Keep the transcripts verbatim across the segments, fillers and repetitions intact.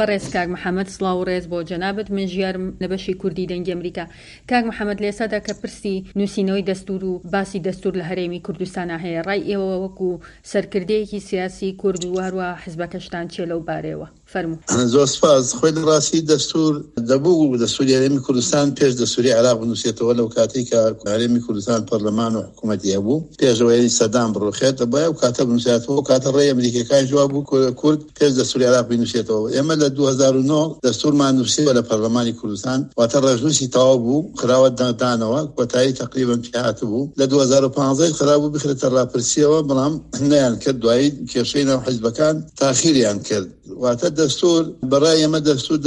بەڕێز کاک محەممەد، سڵاو و ڕێز بۆ جەنابت. من ژیارم لە بەشی کوردی دەنگی ئەمریکا. کاک محەممەد، لە ئێستادا کە پرسی نووسینەوەی دەستور و باسی دەستور لە هەرێمی کوردستانا هەیە، ڕای ئێوە وەکو سەرکردەیەکی سیاسی کورد و هەروەها حزبەکەشتان چیە لەو بارەیەوە؟ فەرموو. زۆر سپاس. خۆی لە ڕاستی دەستور دەبوو دەستوری هەرێمی کوردستان پێش دەستوری عێراق بنووسێتەوە. لەو کاتەی کە هەرێمی کوردستان پەرلەمان و حکوومەتی هەبوو، پێشەوەی سەدام بڕوخێت، دەبوایە ئەو کاتە بنووسێتەوە. ئەو کاتە ڕێی ئەمریکیەکان جواب بوو کورد پێش دەستوری عێراق بنووسێتەوە. ئێمە لە دوو هەزار و نۆ دەستورمان نووسیوە لە پەرلەمانی کوردستان، واتە ڕێژنووسی تەواو بوو، خراوە دانەوە، کۆتایی تقریبا پێهاتبوو. لە دوو هەزار و پانزە خرا بوو بخرێتە ڕاپرسیەوە، بەڵام نەیان کرد. دوایی کێشەی ناو حیزبەکان تاخیریان کرد. واتە دەستور بەڕای ئێمە دەستور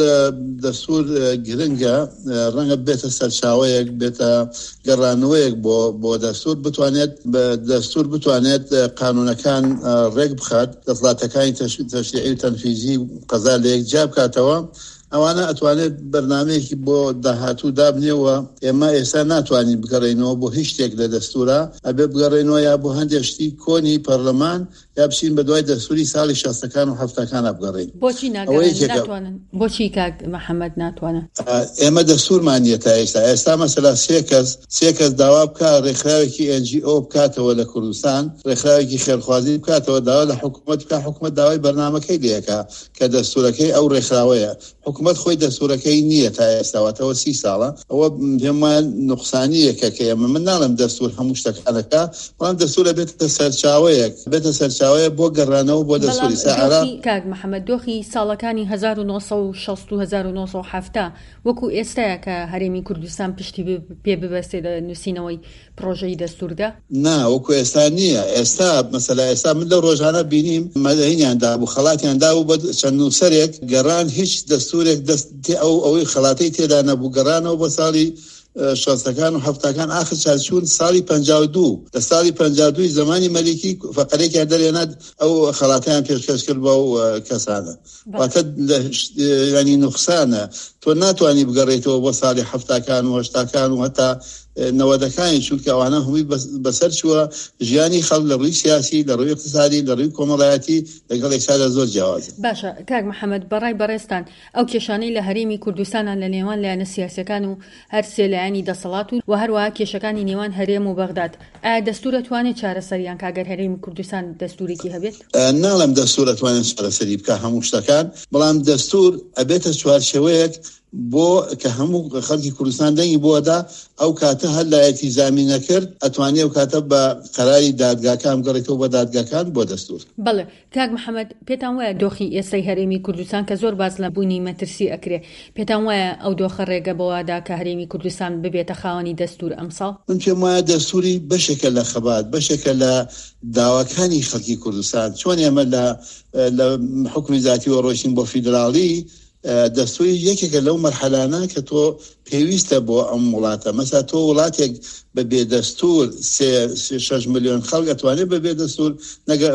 دەستور گرنگە، ڕەنگە بێتە سەرچاوەیەک، بێتە گەڕانەوەیەک بۆ بۆ دەستور، بتوانێت دەستور بتوانێت قانونەکان ڕێک بخات، دەسەڵاتەکانی تەشریعی و تەنفیزی و قەزا لە یەک جیا بکاتەوە. ئەوانە ئەتوانێت بەرنامەیەکی بۆ داهاتوو دابنێەوە. ئێمە ئێستا ناتوانین بگەڕێینەوە بۆ هیچ شتێک لە دەستورە، ئەبێ بگەڕێینەوە یا بۆ هەندێک شتی کۆنی پەرلەمان یا بچین بە دوای دەستوری ساڵی شەستەکان و هەفتەکانە بگەڕێین. بۆچی ناگەڕێن؟ ناتوانن؟ بۆچی کاک محەممەد ناتوانن؟ ئێمە دەستورمان نییە تا ئێستا. ئێستا مەسەلا سێ کەس سێ کەس داوا بکا ڕێکخراوێکی ئێن جی ئۆ بکاتەوە لە کوردستان، ڕێکخراوێکی خێرخوازی بکاتەوە، داوا لە حکوومەت بکا، حکوومەت داوای بەرنامەکەی لێکا کە دەستورەکەی ئەو ڕێکخراوەیە. حکوومەت خۆی دەستورەکەی نییە تا ئێستا، واتەوە سی ساڵە. ئەوە پێم وایە نوقسانییەکە کە ئێمە، من ناڵێم دەستور هەموو شتەکانەکە، بەڵام دەستورە بێتە سەرچاوەیەک، بێتە سەرچاوەیە بۆ گەڕانەوە بۆ دەستوری سا عێراق. کاک محەممەد، دۆخی ساڵەکانی هەزار و نۆ سەد و شەست و هەزار و نۆ سەد و حەفتا وەکو ئێستاە کە هەرێمی کوردستان پشتی پێ ببەستێ لە نووسینەوەی پرۆژەی دەستوردا؟ نا، وەکو ئێستا نییە. ئێستا مەسەلا ئێستا من لەو ڕۆژانە بینیم مەدەینیان دابوو، خەڵاتیان دابوو بە چەند نووسەرێک، گەڕان هیچ دەستورێک دەست ئەو ئەوەی خەڵاتەی تێدا نەبوو، گەڕانەوە بۆ ساڵی شەستەکان و هەفتاکان. ئاخر چارچوون ساڵی پەنجا و دوو، لە ساڵی پەنجا و دووی زەمانی مەلیکی فەقەرێکیان دەرێنات، ئەو خەڵاتیان پێشکەش کرد بەو کەسانە. واتە ینی نوقسانە، تۆ ناتوانانی بگەڕێیتەوە بۆ ساڵی هەفتاکان و هەشتاکان و هەتا نەوەدەکانی، چونکە ئەوانە هەمووی بەسەر چووە. ژیانی خەڵک لە ڕووی سیاسی، لە ڕووی اقتصادی، لە ڕووی کۆمەڵایەتی لەگەڵ ئێستادا زۆر جیاوازە. باشە کاک محەممەد، بەڕای بەڕێزتان ئەو کێشانەی لە هەرێمی کوردستانە لە نێوان لایەنە سیاسەکان و هەر سێ لایەنی دەسەڵات و و هەروەها کێشەکانی نێوان هەرێم و بەغداد، ئایا دەستور ئەتوانێت چارەسەریان کاگەر هەرێمی کوردستان دەستورێکی هەبێت؟ ناڵێم دەستور ئەتوانێت چارەسەری بکە هەموو شتەکان، بەڵام دەستور ئەبێتە چوارچێوەیەک بۆ کە هەموو خەڵکی کوردستان دەنگی بۆدا. ئەو کاتە هەر لایەکی زامی نەکرد ئەتوانێت ئەو کاتە بە قەراری دادگاکان بگەڕێتەوە بە دادگاکان بۆ دەستور. بەڵێ کاک محەممەد، پێتان وایە دۆخی ئێستای هەرێمی کوردستان کە زۆر باز لە بوونی مەترسی ئەکرێ، پێتان وایە ئەو دۆخە ڕێگە بەوادا کە هەرێمی کوردستان ببێتە خاوەنی دەستور ئەمساڵ؟ من پێم وایە دەستوری بەشێکە لە خەبات، بەشێکە لە داواکانی خەڵکی کوردستان. چۆن ئێمە لە لە حکومی ذاتیەوە ڕۆیشتین بۆ فیدراڵی، دەستوری یەکێکە لەو مەرحەلانە کە تۆ پێویستە بۆ ئەم وڵاتە. مەسا تۆ وڵاتێک بە بێدەستور سێ شەش ملیۆن خەڵک ئەتوانێت بە بێدەستور نەگە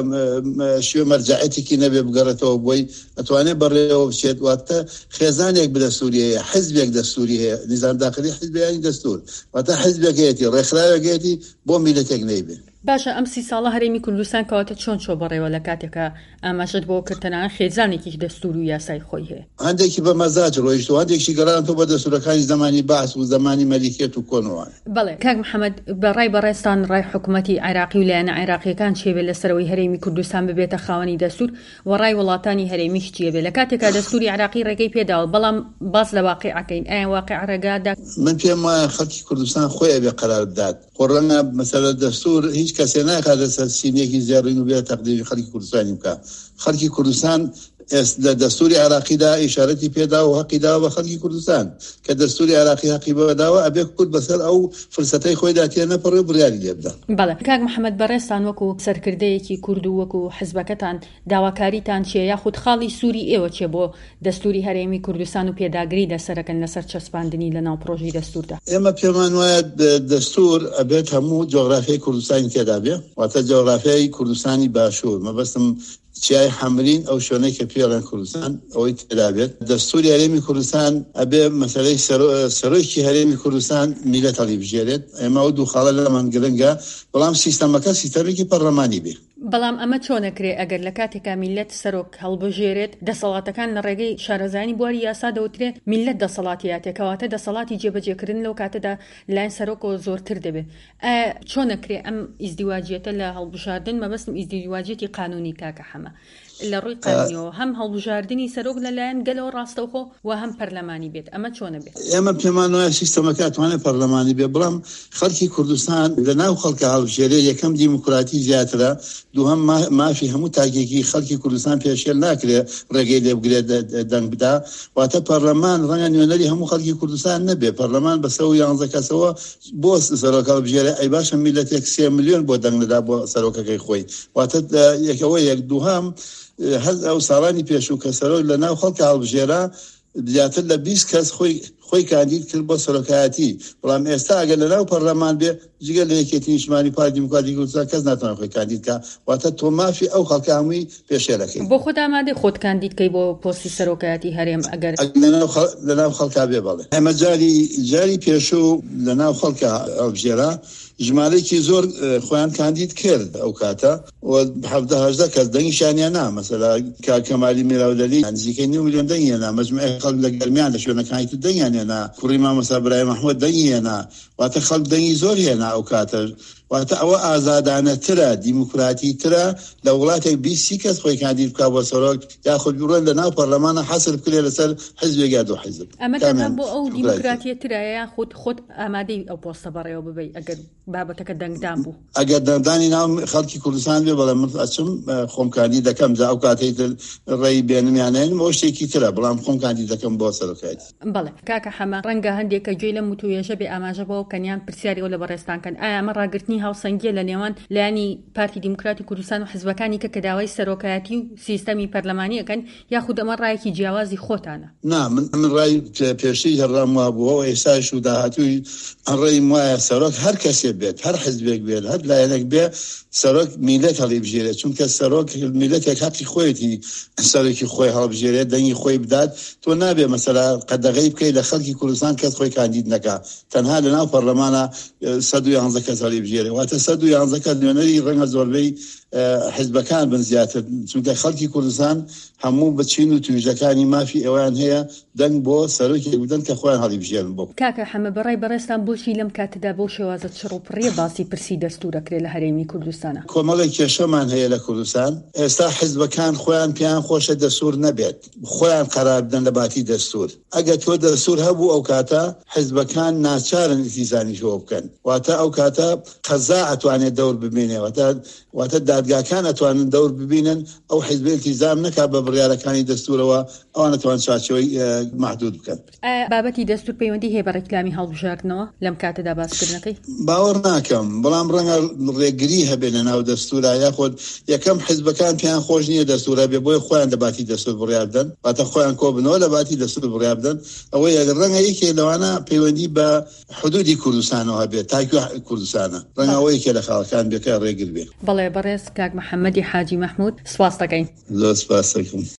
شوێ مەرجەعەتێکی نەبێ بگەڕێتەوە بۆی ئەتوانێت بەڕێوە بچێت. واتە خێزانێک بەدەستوری هەیە، حزبێک دەستوری هەیە، نیزام داخلی حزبیانی دەستور، واتە حزبێکەیەتی، ڕێکخراوێکەیەتی بۆ میلەتێک نەیبێ. باشە ئەم سی ساڵە هەرێمی کوردستان کەواتە چۆن چۆ بەڕێوە لە کاتێکە ئاماژەت بۆ کرد تەنانەت خێزانێکیش دەستور و یاسای خۆی هەیە؟ هەندێکی بە مەزاج ڕۆیشت و هەندێکی گەڕانەوە بە دەستورەکانی زەمانی بەعس و زەمانی مەلیکێت و کۆنەوە. بەڵێ کاک محەممەد، بە ڕای بەڕێزتان ڕای حکوومەتی عێراقی و لایەنە عێراقیەکان چیە بێ لەسەرەوەی هەرێمی کوردستان ببێتە خاوەنی دەستور و ڕای وڵاتانی هەرێمیش چیە بێ لە کاتێکا دەستوری عێراقی ڕێگەی پێداوە، بەڵام باس لە واقعەکەین، ئایا واقع ڕێگادا؟ من پێم وایە خەڵکی کوردستان خۆی ئەبێ قەرار بدات. خۆ ڕەنگە مەسەلە دەستور هیچ کەسێ ناخاتە سەر سینێکی زێڕین و بێ تەقدیری خەڵکی کوردستانی بکە. خەڵکی کوردستان لە دەستوری عێراقیدا ئیشارەتی پێدا و حەقی داوە بە خەڵکی کوردستان کە دەستوری عێراقی حەقی بەداوە، ئەبێ کورد بەسەر ئەو فرسەتەی خۆیدا تێ نەپەڕێ و بڕیاری لێ بدە. بەڵێ کاک محەممەد، بەڕێزتان وەکو سەرکردەیەکی کورد و وەکو حزبەکەتان داواکاریتان چییە یاخود خاڵی سووری ئێوە چیە بۆ دەستوری هەرێمی کوردستان و پێداگری لەسەرەکەن لەسەر چەسپاندنی لەناو پرۆژەی دەستوردا؟ ئێمە پێمان وایە دەستور ئەبێت هەموو جۆغرافیای کوردستانی تێدا بێ، واتە جۆغرافیای کوردستانی باشوور، مەبەستم چیای حەمرین ئەو شوێنەی کە پێڵێن کوردستان ئەوەی تێدا بێت. دەستوری هەرێمی کوردستان ئەبێ مەسەلەی سەرۆکی هەرێمی کوردستان میلەت هەڵیبژێرێت. ئێمە ئەو دوو خاڵە لەمان گرنگە، بەڵام سیستەمەکە سیستەمێکی پەرلەمانی بێ. بەڵام ئەمە چۆن ئەکرێ ئەگەر لە کاتێکا میللەت سەرۆک هەڵبژێرێت، دەسەڵاتەکان لە ڕێگەی شارەزایانی بواری یاسا دەوترێ میللەت دەسەڵاتی هاتێ، کەواتە دەسەڵاتی جێبەجێکردن لەو کاتەدا لەلایەن سەرۆکەوە زۆرتر دەبێ. ئایا چۆن ئەکرێ ئەم ئیزدیواجیەتە لە هەڵبژاردن، مەبەستم ئیزدیواجیەتی قانونی کاکە حەمە، لە ڕووی قانونیەوە هەم هەڵبژاردنی سەرۆک لە لایەن گەلەوە ڕاستەوخۆ و هەم پەرلەمانی بێت، ئەمە چۆنە بێت؟ ئێمە پێمان وایە سیستەمەکە ئەتوانێت پەرلەمانی بێت، بەڵام خەڵکی کوردستان لە ناو خەڵکە هەڵبژێرێ، یەکەم دیموکراتی زیاترە، دووهەم مافی هەموو تاکێکی خەڵکی کوردستان پێشێل ناکرێ ڕێگەی لێ بگرێت دەنگ بدا. واتە پەرلەمان ڕەنگە نوێنەری هەموو خەڵکی کوردستان نەبێ، پەرلەمان بە سەد و یانزە کەسەوە بۆ سەرۆک هەڵبژێرێ، ئەی باشە میللەتێک سێ ملیۆن بۆ دەنگ نەدا بۆ سەرۆکەکەی خۆی. واتە یەکەوە یەک. دووهەم هەر ئەو ساڵانی پێشوو کە سەرۆک لە ناو خەڵکە هەڵبژێرا زیاتر لە بیست کەس خۆی خۆی کاندید کرد بۆ سەرۆکایەتی، بەڵام ئێستا ئەگەر لە ناو پەرلەمان بێ جگە لە یەکێتی نیشتمانی پارتی دیموکراتی کوردستان کەس ناتوانێت خۆی کاندید کا. واتە تۆ مافی ئەو خەڵکە هەمووی پێشێلەکەی. بۆ خۆت ئامادەی خۆت کاندید کەی بۆ پۆستی سەرۆکایەتی هەرێم ئەگەر لە ناو خەڵکا بێ؟ بەڵێ، ئێمە جاری جاری پێشوو لە ناو خەڵکە هەڵبژێرا، ژمارەیەکی زۆر خۆیان کاندید کرد ئەو کاتە و حەڤدە هەژدە کەس دەنگیشیان هێنا. مەسەلا کاک کەمالی میراولەلی نزیکەی نیو ملیۆن دەنگی هێنا، مەجموعەی خەڵک لە گەرمیان لە شوێنەکانی تر دەنگیان هێنا، کوڕی مامۆستا برایم ئەحمەد دەنگی هێنا. واتە خەڵک دەنگی زۆر هێنا ئەو کاتە. واتە ئەوە ئازادانەترە، دیموکراتیترە لە وڵاتێک بیست سی کەس خۆی کاندید بکا بۆ سەرۆک، یاخود بڕۆن لە ناو پەرلەمانە حەسر بکرێ لەسەر حزبێک یا دوو حزب. ئەمە تەنها بۆ ئەو دیموکراتیەترە یاخود خۆت ئامادەی ئەو پۆستە بەڕێوە ببەی ئەگەر بابەتەکە دەنگدان بوو؟ ئەگەر دەنگدانی ناو خەڵکی کوردستان بێ بەڵێ من ئەچم خۆم کاندید دەکەم، جا ئەو کاتەی تر ڕێی بێنم یان نەیەنم ئەوە شتێکی ترە، بەڵام خۆم کاندید دەکەم بۆ سەرۆکایەتی. بەڵێ کاکە حەمە، ڕەنگە هەندێک کە گوێی لەم وتووێژە بێ ئاماژە بەوە بکەن یان پرسیاری ئەوە لە بەڕێزتان کەن، ئایا ئەمە ڕاگرتنی هاوسەنگیە لە نێوان لایەنی پارتی دیموکراتی کوردستان و حزبەکانی کە کە داوای سەرۆکایەتی و سیستەمی پەرلەمانی ئەکەن، یاخود ئەمە ڕایەکی جیاوازی خۆتانە؟ نا، من من ڕای پێشتریش هەر ڕام وابووە و ئێستاش و داهاتووی ڕێیم وایە سەرۆک هەر کەسێ بێت، هەر حزبێک بێت، هەر لایەنێک بێ، سەرۆک میللەت هەڵیبژێرێت، چونکە سەرۆک میللەتێک هەقی خۆیەتی سەرۆکی خۆی هەڵبژێرێت، دەنگی خۆی بدات. تۆ نابێ مەسەلا قەدەغەی بکەیت لە خەڵکی کوردستان کەس خۆی کاندید نەکا، تەنها لە ناو پەرلەمانە سەد و یانزە کەس هەڵیبژێرێ. واتە سەد و یانزە کەس نوێنەری ڕەنگە زۆربەی حزبەکان بن زیاتر، چونکە خەڵکی کوردستان هەموو بە چین و تویژەکانی مافی ئەویان هەیە دەنگ بۆ سەرۆکێک بدەن کە خۆیان هەڵیبژێرن بۆ. کاکە حەمە، بەڕای بەڕێزتان بۆچی لەم کاتەدا بەو شێوازە چڕ و پڕیە باسی پرسی دەستوور ئەکرێ لە هەرێمی کوردستانە؟ کۆمەڵێک کێشەمان هەیە لە کوردستان. ئێستا حزبەکان خۆیان پێیان خۆشە دەستوور نەبێت، خۆیان قەرار بدەن لە باتی دەستوور. ئەگەر تۆ دەستوور هەبوو ئەو کاتە حزبەکان ناچارن ئیلتیزامیشەوە بکەن، واتە ئەو کاتە قەزا ئەتوانێت دەور ببینێ، واتە واتە دادگاکان ئەتوانن دەور ببینن، ئەو حزب ئیلتیزام نەکات بە بڕیارەکانی دەستوورەوە، ئەوان ئەتوان چوارچێوەی مەحدود بکەن. ئایا بابەتی دەستوور پەیوەندی هەیە بە ڕێکلامی هەڵبژاردنەوە لەم کاتەدا باسکردنەکەی؟ باوەڕ ناکەم، بەڵام ڕەنگە ڕێگری هەبێت لە ناو دەستوورا، یاخود یەکەم حزبەکان پێیان خۆش نییە دەستوور هەبێ، بۆیە خۆیان لە باتی دەستوور بڕیار بدەن، واتە خۆیان کۆبنەوە لە باتی دەستوور بڕیار بدەن. ئەوەیە ڕەنگە یەکێک لەوانە پەیوەندی بە حدودی کوردستانەوە هەبێت، تاکوێ کوردستانە، ڕەنگە ئەوە یەکێ لە خاڵەکان بێ کە ڕێگر بێ. بەڵێ بەڕێز کاک محەممەدی حاجی مەحموود، سپاس دەکەین. زۆر سپاس دەکەم.